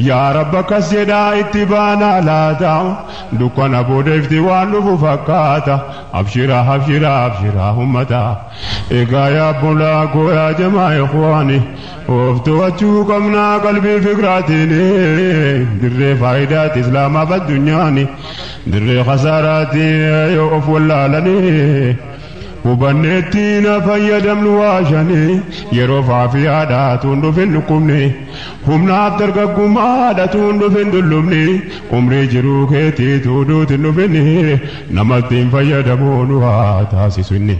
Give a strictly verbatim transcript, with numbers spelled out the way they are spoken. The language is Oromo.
Yaa Rabba akkas jedhaa itti baanaa laata dukkana booda ifti waan dhufu fakkaata abshiraa abshiraa abshiraa ummata egaa yaa bulaa koo yaa jamaa ikhwaani of to'achuu qabnaa qalbii fikraatiin dirree faayidaati islaamaaf addunyaani dirree khasaaraati yoo of wallaalanii hubanneetti na fayyadamnu waashanii yeroo faafiyaadha tuun dhufin dhukkubni humnaaf dargaggummaadha tuun dhufin dullumni umrii jiruu keetii tuuduutin dhufin namatti hin fayyadamuun waa taasisu inni.